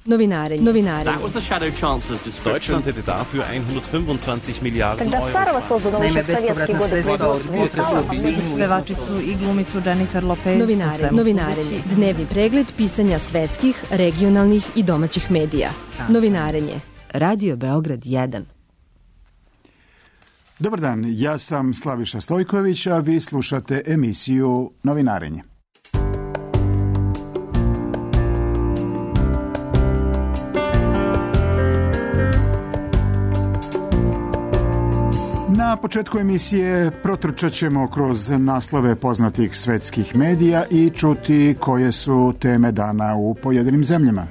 Novinarenje. Deutschland hätte dafür 125 Miliarden Euro. Naime, bespovratna sredstva od pevačicu i glumicu Jennifer Lopez. Novinarenje. Dnevni pregled pisanja svetskih, regionalnih i domaćih medija. Novinarenje. Radio Beograd 1. Dobar dan, ja sam Slaviša Stojković, a vi slušate emisiju Novinarenje. Na početku emisije protrčat ćemo kroz naslove poznatih svetskih medija i čuti koje su teme dana u pojedinim zemljama.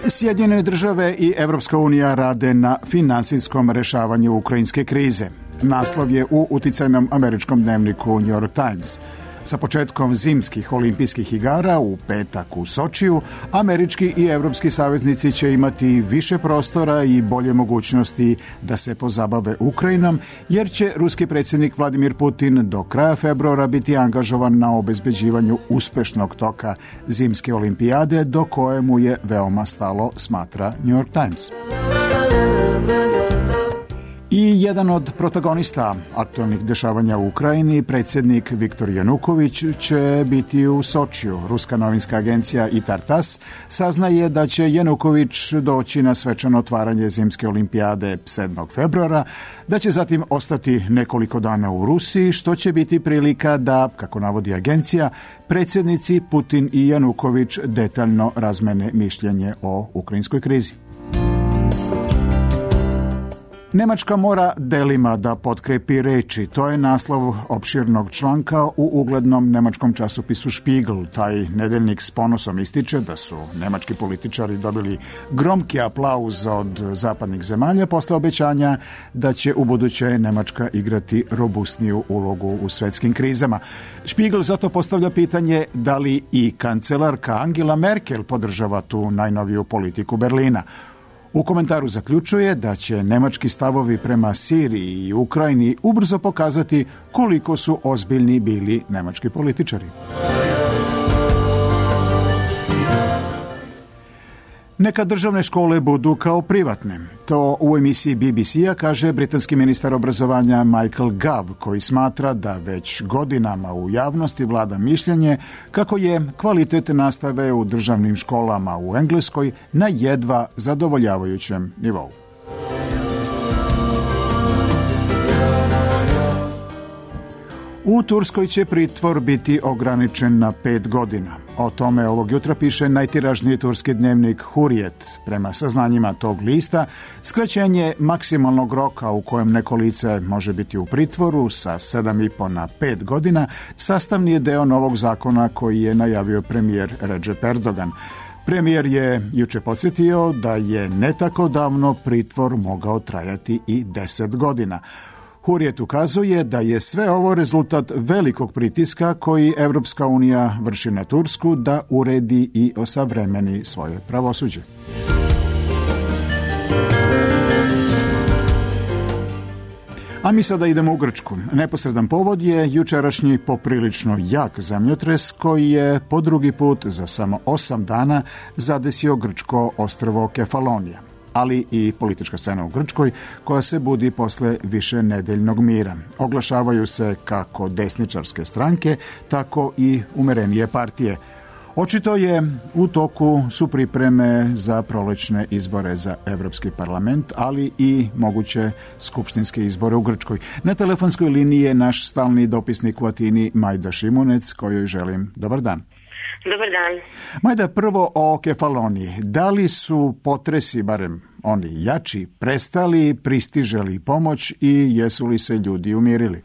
Sjedinjene države i Evropska unija rade na finansijskom rešavanju ukrajinske krize. Naslov je u uticajnom američkom dnevniku New York Times. Sa početkom zimskih olimpijskih igara u petak u Sočiju, američki i evropski saveznici će imati više prostora i bolje mogućnosti da se pozabave Ukrajinom, jer će ruski predsjednik Vladimir Putin do kraja februara biti angažovan na obezbeđivanju uspešnog toka zimske olimpijade, do koje mu je veoma stalo, smatra New York Times. I jedan od protagonista aktualnih dešavanja u Ukrajini, predsjednik Viktor Januković, će biti u Sočiju. Ruska novinska agencija ITAR-TASS saznaje da će Januković doći na svečano otvaranje zimske olimpijade 7. februara, da će zatim ostati nekoliko dana u Rusiji, što će biti prilika da, kako navodi agencija, predsjednici Putin i Januković detaljno razmene mišljenje o ukrajinskoj krizi. Nemačka mora delima da potkrepi reči. To je naslov opširnog članka u uglednom nemačkom časopisu Spiegel. Taj nedeljnik s ponosom ističe da su nemački političari dobili gromki aplauz od zapadnih zemalja posle obećanja da će ubuduće Nemačka igrati robustniju ulogu u svetskim krizama. Spiegel zato postavlja pitanje da li i kancelarka Angela Merkel podržava tu najnoviju politiku Berlina. U komentaru zaključuje da će nemački stavovi prema Siriji i Ukrajini ubrzo pokazati koliko su ozbiljni bili nemački političari. Neka državne škole budu kao privatne. To u emisiji BBC-a kaže britanski ministar obrazovanja Michael Gove, koji smatra da već godinama u javnosti vlada mišljenje kako je kvalitet nastave u državnim školama u Engleskoj na jedva zadovoljavajućem nivou. U Turskoj će pritvor biti ograničen na 5 godina. O tome ovog jutra piše najtiražniji turski dnevnik Hurriyet. Prema saznanjima tog lista, skraćenje maksimalnog roka u kojem neko lice može biti u pritvoru sa 7,5 na 5 godina sastavni je deo novog zakona koji je najavio premijer Recep Erdogan. Premijer je juče podsjetio da je ne tako davno pritvor mogao trajati i 10 godina. Hurriyet ukazuje da je sve ovo rezultat velikog pritiska koji Evropska unija vrši na Tursku da uredi i osavremeni svoje pravosuđe. A mi sada idemo u Grčku. Neposredan povod je jučerašnji poprilično jak zemljotres koji je po drugi put za samo 8 dana zadesio grčko ostrvo Kefalonija, ali i politička scena u Grčkoj koja se budi posle višenedeljnog mira. Oglašavaju se kako desničarske stranke, tako i umerenije partije. Očito je u toku su pripreme za prolećne izbore za Evropski parlament, ali i moguće skupštinske izbore u Grčkoj. Na telefonskoj liniji je naš stalni dopisnik u Atini Majda Šimunec, kojoj želim dobar dan. Dobar dan. Majda, prvo o Kefaloniji. Da li su potresi, barem oni jači, prestali, pristiže li pomoć i jesu li se ljudi umirili?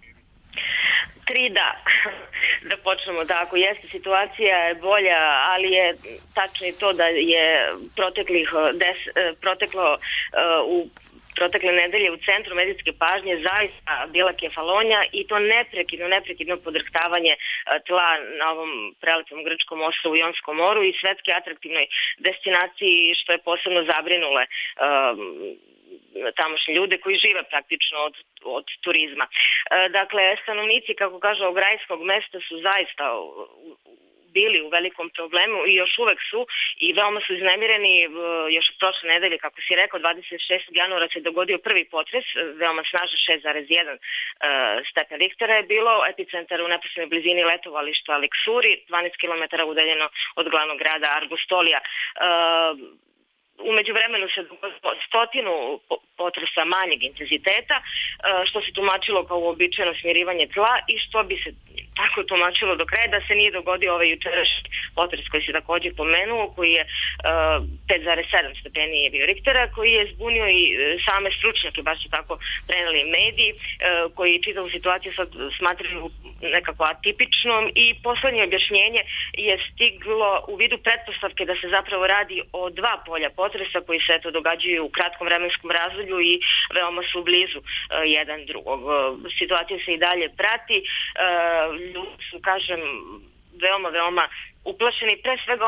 3 da. Da počnemo tako. Jeste, situacija je bolja, ali je tačno i to da je proteklo u protekle nedelje u centru medijske pažnje zaista bila Kefalonija i to neprekidno podrhtavanje tla na ovom prelepom grčkom ostrvu u Jonskom moru i svetski atraktivnoj destinaciji, što je posebno zabrinule tamošnje ljude koji žive praktično od turizma. Dakle, stanovnici, kako kaže, Ograjskog mesta su zaista bili u velikom problemu i još uvek su i veoma su iznemireni. Još od prošle nedelje, kako si rekao, 26. januara se dogodio prvi potres, veoma snažan 6,1 stepen Richtera je bilo, epicentar u neposrednoj blizini letovališta Liksuri, 12 km udaljeno od glavnog grada Argostolija. Umeđu vremenu se dogodilo 100 potresa manjeg intenziteta, što se tumačilo kao uobičajeno smirivanje tla i što bi se tako tumačilo do kraja da se nije dogodio ovaj jučerašnji potres koji se također pomenuo, koji je 5,7 stepeni je bio Richtera, koji je zbunio i same stručnjake, baš su tako preneli mediji, koji čitavu situaciju sad smatraju nekako atipičnom i poslednje objašnjenje je stiglo u vidu pretpostavke da se zapravo radi o dva polja potresa koji se eto događaju u kratkom vremenskom razdoblju i veoma su blizu jedan drugog. Situacija se i dalje prati, ljudi su, kažem, veoma uplašeni, pre svega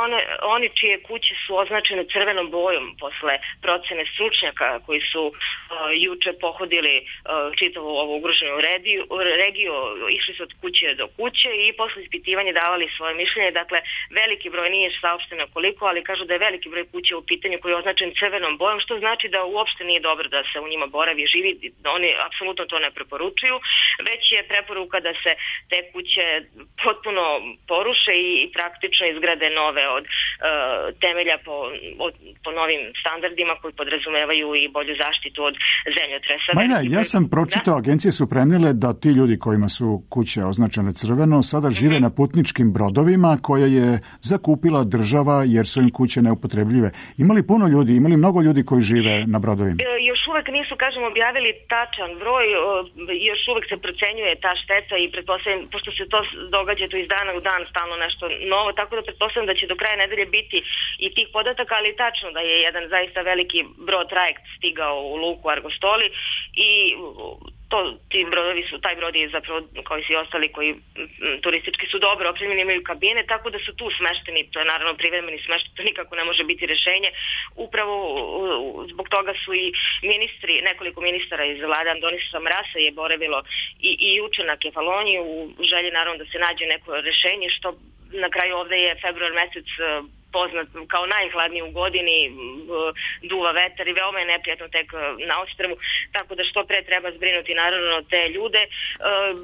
oni čije kuće su označene crvenom bojom posle procene stručnjaka koji su juče pohodili čitavu ovu ugroženu regiju, išli su od kuće do kuće i posle ispitivanja davali svoje mišljenje. Dakle, veliki broj, nije saopšteno koliko, ali kažu da je veliki broj kuće u pitanju koji je označen crvenom bojom, što znači da uopšte nije dobro da se u njima boravi i živi. Oni apsolutno to ne preporučuju, već je preporuka da se te kuće potpuno poruše i praktično izgrade nove od temelja po novim standardima koji podrazumevaju i bolju zaštitu od zemljotresa. Majda, ja sam pročitao, agencije su prenijele da ti ljudi kojima su kuće označene crveno sada žive na putničkim brodovima koje je zakupila država jer su im kuće neupotrebljive. Ima li puno ljudi, ima li mnogo ljudi koji žive na brodovima? Još uvek nisu, kažem, objavili tačan broj, još uvek se procenjuje ta šteta i pretpostavljam, pošto se to događa to iz dana u dan stalno nešto novo, tako da pretpostavljam da će do kraja nedelje biti i tih podataka, ali tačno da je jedan zaista veliki brod trajekt stigao u luku Argostoli i taj brod je zapravo, kao i svi ostali koji turistički su dobro opremljeni, imaju kabine, tako da su tu smešteni, to je naravno privremeni smeštaj, to nikako ne može biti rešenje. Upravo zbog toga su i nekoliko ministara iz vlade Andonisa Mrasa je boravilo i juče na Kefaloniji u želji naravno da se nađe neko rešenje, što na kraju ovde je februar mesec poznat kao najhladniji u godini, duva vetar i veoma je neprijatno tek na ostrvu, tako da što pre treba zbrinuti naravno te ljude.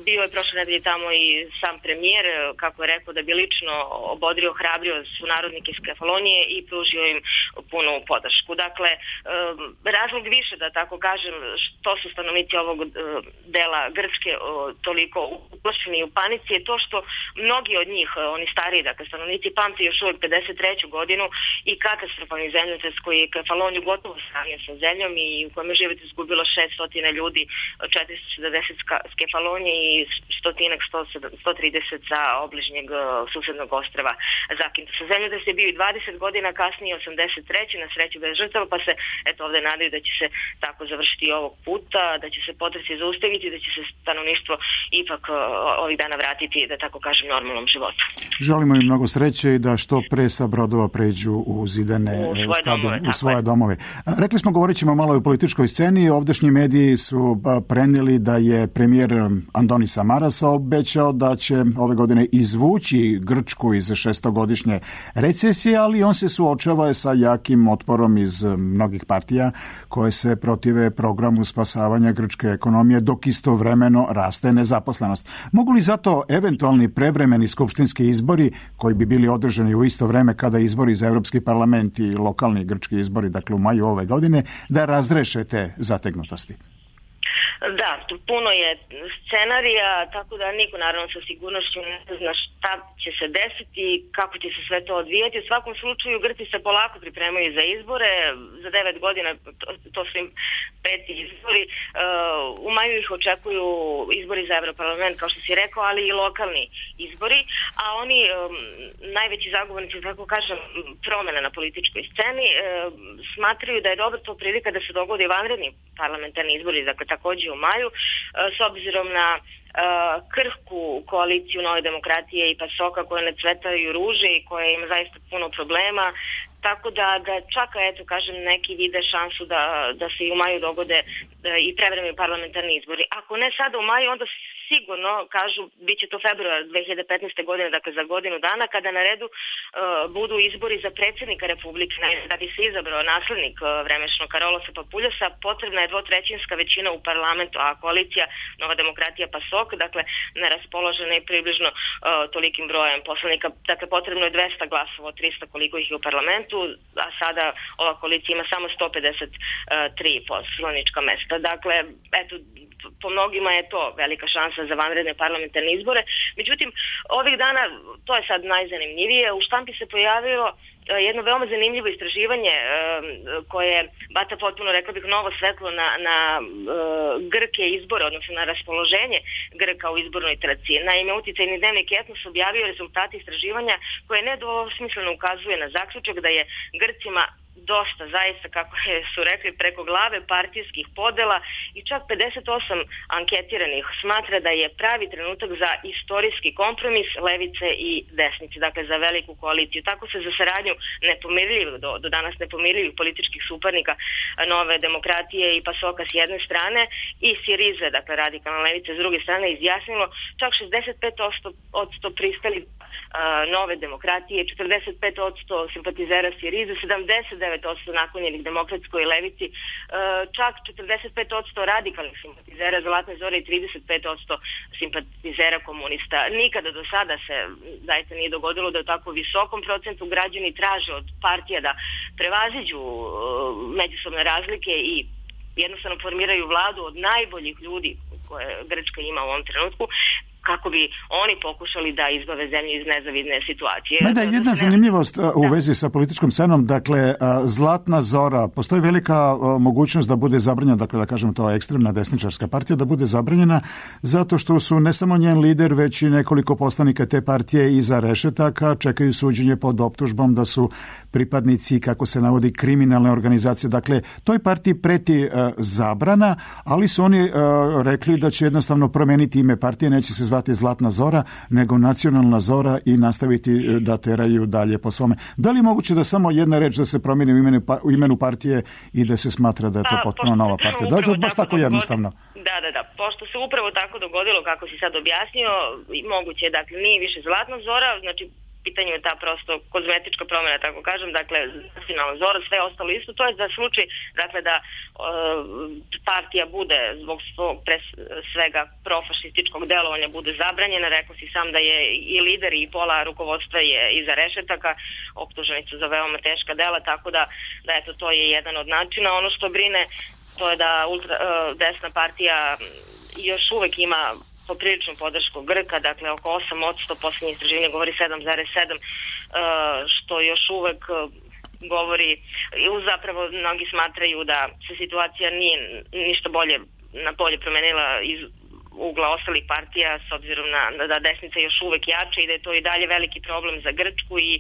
Bio je prošle nedelje tamo i sam premijer, kako je rekao, da bi lično obodrio, hrabrio sunarodnike iz Kefalonije i pružio im punu podršku. Dakle, razlog više, da tako kažem, što su stanovnici ovog dela Grčke toliko uplašeni i u panici je to što mnogi od njih, oni stariji, dakle stanovnici, pamte još uvek 53. godinu i katastrofalni zemljotres koji je Kefaloniju gotovo sravnio sa zemljom i u kojem je život izgubilo 600 ljudi, 470 s Kefalonije i 130 sa obližnjeg susednog ostrva zakinuto sa zemljom. Da se bio i 20 godina kasnije, 83. na sreću bez žrtava, pa se eto ovde nadaju da će se tako završiti i ovog puta, da će se potresi zaustaviti, da će se stanovništvo ipak ovih dana vratiti, da tako kažem, normalnom životu. Želimo im mnogo sreće i da što pre sa brodova pređu u zidane u svoje domove. Rekli smo, govorit ćemo malo o političkoj sceni. Ovdašnji mediji su prenijeli da je premijer Andonis Samaras obećao da će ove godine izvući Grčku iz šestogodišnje recesije, ali on se suočava sa jakim otporom iz mnogih partija koje se protive programu spasavanja grčke ekonomije, dok istovremeno raste nezaposlenost. Mogu li zato eventualni prevremeni skupštinski izbori koji bi bili održani u isto vreme kada izbori za Evropski parlament i lokalni grčki izbori, dakle u maju ove godine, da razreše te zategnutosti? Da, puno je scenarija, tako da niko naravno sa sigurnošću ne zna šta će se desiti, kako će se sve to odvijati. U svakom slučaju Grci se polako pripremaju za izbore, za 9 godina, to su im 5 izbori. U maju ih očekuju izbori za Evroparlament, kao što si rekao, ali i lokalni izbori, a oni, najveći zagovornici, tako kažem, promjena na političkoj sceni, smatraju da je dobro to prilika da se dogodi vanredni parlamentarni izbori, dakle takođe u maju, s obzirom na krhku koaliciju Nove demokratije i PASOK-a koje ne cvetaju ruže i koje ima zaista puno problema, tako da čaka, eto kažem, neki vide šansu da se i u maju dogode i prevremeni parlamentarni izbori. Ako ne sada u maju, onda sigurno, kažu, bit će to februar 2015. godine, dakle za godinu dana, kada na redu budu izbori za predsjednika Republike. Da bi se izabrao naslednik vremešno Karolosa Papuljasa, potrebna je 2/3 većina u parlamentu, a koalicija Nova demokratija PASOK, dakle neraspoložena je približno tolikim brojem poslanika. Dakle, potrebno je 200 glasova od 300 koliko ih je u parlamentu, a sada ova koalicija ima samo 153 poslanička mesta. Dakle, eto, po mnogima je to velika šansa za vanredne parlamentarne izbore. Međutim, ovih dana, to je sad najzanimljivije, u štampi se pojavilo jedno veoma zanimljivo istraživanje koje bata potpuno, rekla bih, novo svetlo na Grke izbora, odnosno na raspoloženje Grka u izbornoj trci. Naime, uticajni dnevnik Etnos objavio rezultate istraživanja koje nedvosmisleno ukazuje na zaključak da je Grcima dosta, zaista, kako su rekli, preko glave partijskih podela i čak 58 anketiranih smatra da je pravi trenutak za istorijski kompromis levice i desnice, dakle za veliku koaliciju. Tako se za saradnju nepomirljivih, do danas nepomirljivih političkih suparnika Nove demokratije i PASOK-a s jedne strane i Sirize, dakle radikalna levica s druge strane, izjasnilo čak 65% pristali Nove demokratije, 45% simpatizera Sirize, 79% naklonjenih demokratskoj levici, čak 45% radikalnih simpatizera Zlatne zore i 35% simpatizera komunista. Nikada do sada se zaista nije dogodilo da u tako visokom procentu građani traže od partija da prevaziđu međusobne razlike i jednostavno formiraju vladu od najboljih ljudi koje Grčka ima u ovom trenutku, kako bi oni pokušali da izbave zemlju iz nezavidne situacije. Da, jedna zanimljivost u vezi sa političkom scenom, dakle, Zlatna zora, postoji velika mogućnost da bude zabranjena, dakle, da kažem to ekstremna desničarska partija, da bude zabranjena zato što su ne samo njen lider, već i nekoliko poslanika te partije iza rešetaka, čekaju suđenje pod optužbom da su pripadnici, kako se navodi, kriminalne organizacije. Dakle, toj partiji preti zabrana, ali su oni rekli da će jednostavno promeniti ime partije, neće se zvati Zlatna zora, nego Nacionalna zora i nastaviti da teraju dalje po svome. Da li je moguće da samo jedna reč da se promijeni u imenu partije i da se smatra da je to potpuno nova partija? Da je to baš tako jednostavno? Da. Pošto se upravo tako dogodilo, kako si sad objasnio, moguće je, dakle, nije više Zlatna zora, znači pitanje je ta prosto kozmetička promjena, tako kažem, dakle, Nacionalna zora, sve ostalo isto. To je za slučaj, dakle, da partija bude zbog svog svega profašističkog delovanja bude zabranjena. Rekao si sam da je i lider i pola rukovodstva je iza rešetaka, optuženi su za veoma teška dela, tako da eto, to je jedan od načina. Ono što brine, to je da desna partija još uvek ima popriličnu podršku Grka, dakle oko 8%, posljednje istraživanje govori 7,7%, što još uvek govori, zapravo mnogi smatraju da se situacija nije ništa bolje promenila iz ugla ostalih partija, s obzirom da desnica još uvek jača i da je to i dalje veliki problem za Grčku i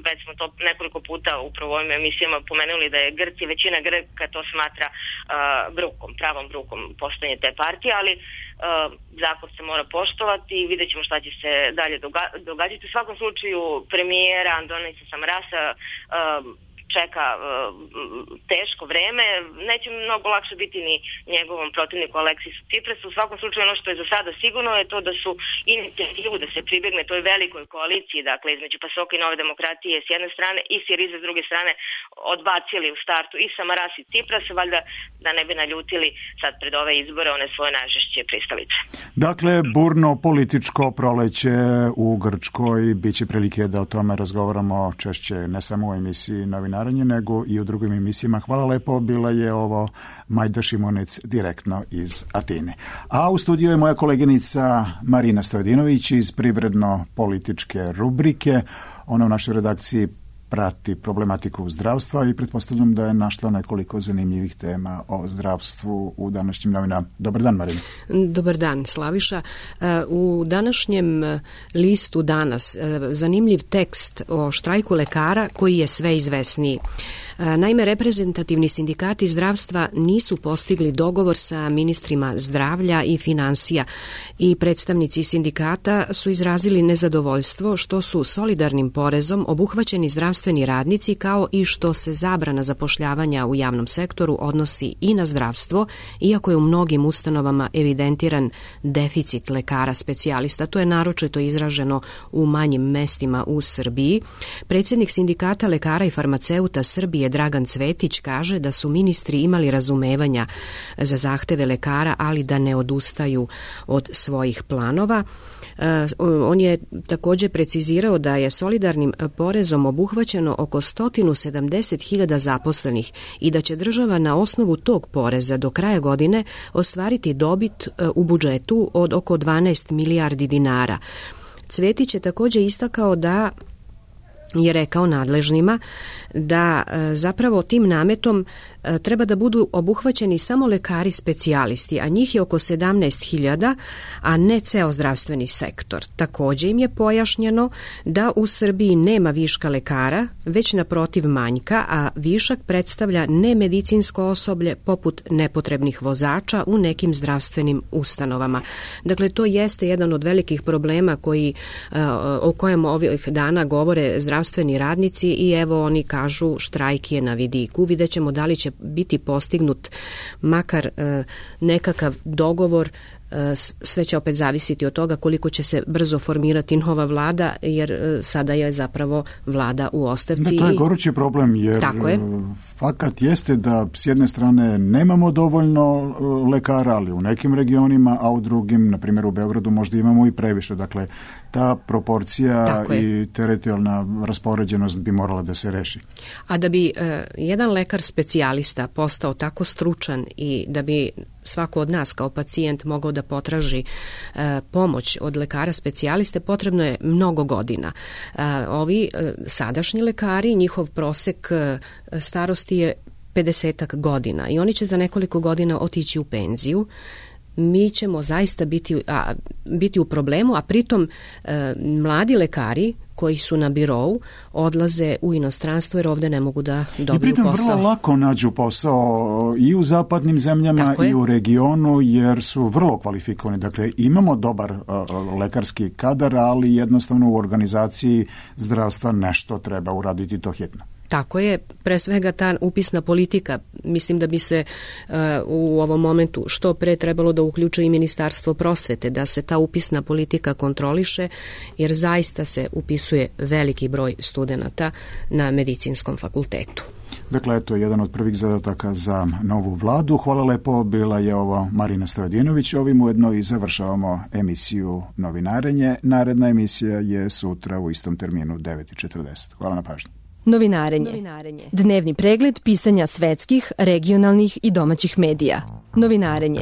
već smo to nekoliko puta upravo u ovim emisijama pomenuli da je većina Grka to smatra pravom brukom postojanje te partije, ali zakon se mora poštovati i vidjet ćemo šta će se dalje događati. U svakom slučaju premijera Andonisa Samarasa čeka teško vreme, neće mnogo lakše biti ni njegovom protivniku Aleksisu Tsiprasu. U svakom slučaju ono što je za sada sigurno je to da su inicijativu da se pribjegne toj velikoj koaliciji, dakle između PASOK-a i Nove demokratije s jedne strane i Sirize s druge strane odbacili u startu i Samaras i Tsipras, valjda da ne bi naljutili sad pred ove izbore one svoje najžešće pristalice. Dakle, burno političko proleće u Grčkoj, bit će prilike da o tome razgovaramo češće, ne samo u emisiji Novina, nego i u drugim emisijama. Hvala lepo, bila je ovo Majda Šimunec direktno iz Atine. A u studiju je moja koleginica Marina Stojedinović iz privredno-političke rubrike. Ona u našoj redakciji prati problematiku zdravstva i pretpostavljam da je našla nekoliko zanimljivih tema o zdravstvu u današnjim novinama. Dobar dan, Marina. Dobar dan, Slaviša. U današnjem listu Danas zanimljiv tekst o štrajku lekara koji je sve izvesniji. Naime, reprezentativni sindikati zdravstva nisu postigli dogovor sa ministrima zdravlja i finansija i predstavnici sindikata su izrazili nezadovoljstvo što su solidarnim porezom obuhvaćeni zdravstveni zdravstveni radnici, kao i što se zabrana zapošljavanja u javnom sektoru odnosi i na zdravstvo, iako je u mnogim ustanovama evidentiran deficit lekara specijalista. To je naročito izraženo u manjim mestima u Srbiji. Predsjednik Sindikata lekara i farmaceuta Srbije Dragan Cvetić kaže da su ministri imali razumevanja za zahteve lekara, ali da ne odustaju od svojih planova. On je također precizirao da je solidarnim porezom obuhvaćeno oko 170.000 zaposlenih i da će država na osnovu tog poreza do kraja godine ostvariti dobit u budžetu od oko 12 milijardi dinara. Cvetić je također istakao da je rekao nadležnima da zapravo tim nametom treba da budu obuhvaćeni samo lekari specijalisti, a njih je oko 17.000, a ne ceo zdravstveni sektor. Također im je pojašnjeno da u Srbiji nema viška lekara, već naprotiv manjka, a višak predstavlja nemedicinsko osoblje poput nepotrebnih vozača u nekim zdravstvenim ustanovama. Dakle, to jeste jedan od velikih problema o kojem ovih dana govore zdravstveni radnici i evo oni kažu štrajk je na vidiku. Vidjet ćemo da li će biti postignut makar nekakav dogovor. Sve će opet zavisiti od toga koliko će se brzo formirati nova vlada, jer sada je zapravo vlada u ostavci. To je gorući problem, jer fakat jeste da s jedne strane nemamo dovoljno lekara, ali u nekim regionima, a u drugim, na primjer u Beogradu, možda imamo i previše. Dakle, ta proporcija i teritorijalna raspoređenost bi morala da se reši. A da bi jedan lekar specijalista postao tako stručan i da bi svako od nas kao pacijent mogao da potraži pomoć od lekara specijaliste, potrebno je mnogo godina. Ovi sadašnji lekari, njihov prosek starosti je 50 godina i oni će za nekoliko godina otići u penziju. Mi ćemo zaista biti u problemu, a pritom mladi lekari koji su na birou odlaze u inostranstvo jer ovdje ne mogu da dobiju posao. I pritom vrlo lako nađu posao i u zapadnim zemljama i u regionu jer su vrlo kvalifikovani. Dakle, imamo dobar lekarski kadar, ali jednostavno u organizaciji zdravstva nešto treba uraditi to hitno. Tako je, pre svega ta upisna politika, mislim da bi se u ovom momentu što pre trebalo da uključuje i Ministarstvo prosvete, da se ta upisna politika kontroliše, jer zaista se upisuje veliki broj studenata na medicinskom fakultetu. Dakle, eto je jedan od prvih zadataka za novu vladu. Hvala lepo, bila je ovo Marina Stojadinović. Ovim ujedno i završavamo emisiju Novinarenje. Naredna emisija je sutra u istom terminu 9:40. Hvala na pažnji. Novinarenje. Dnevni pregled pisanja svetskih, regionalnih i domaćih medija. Novinarenje.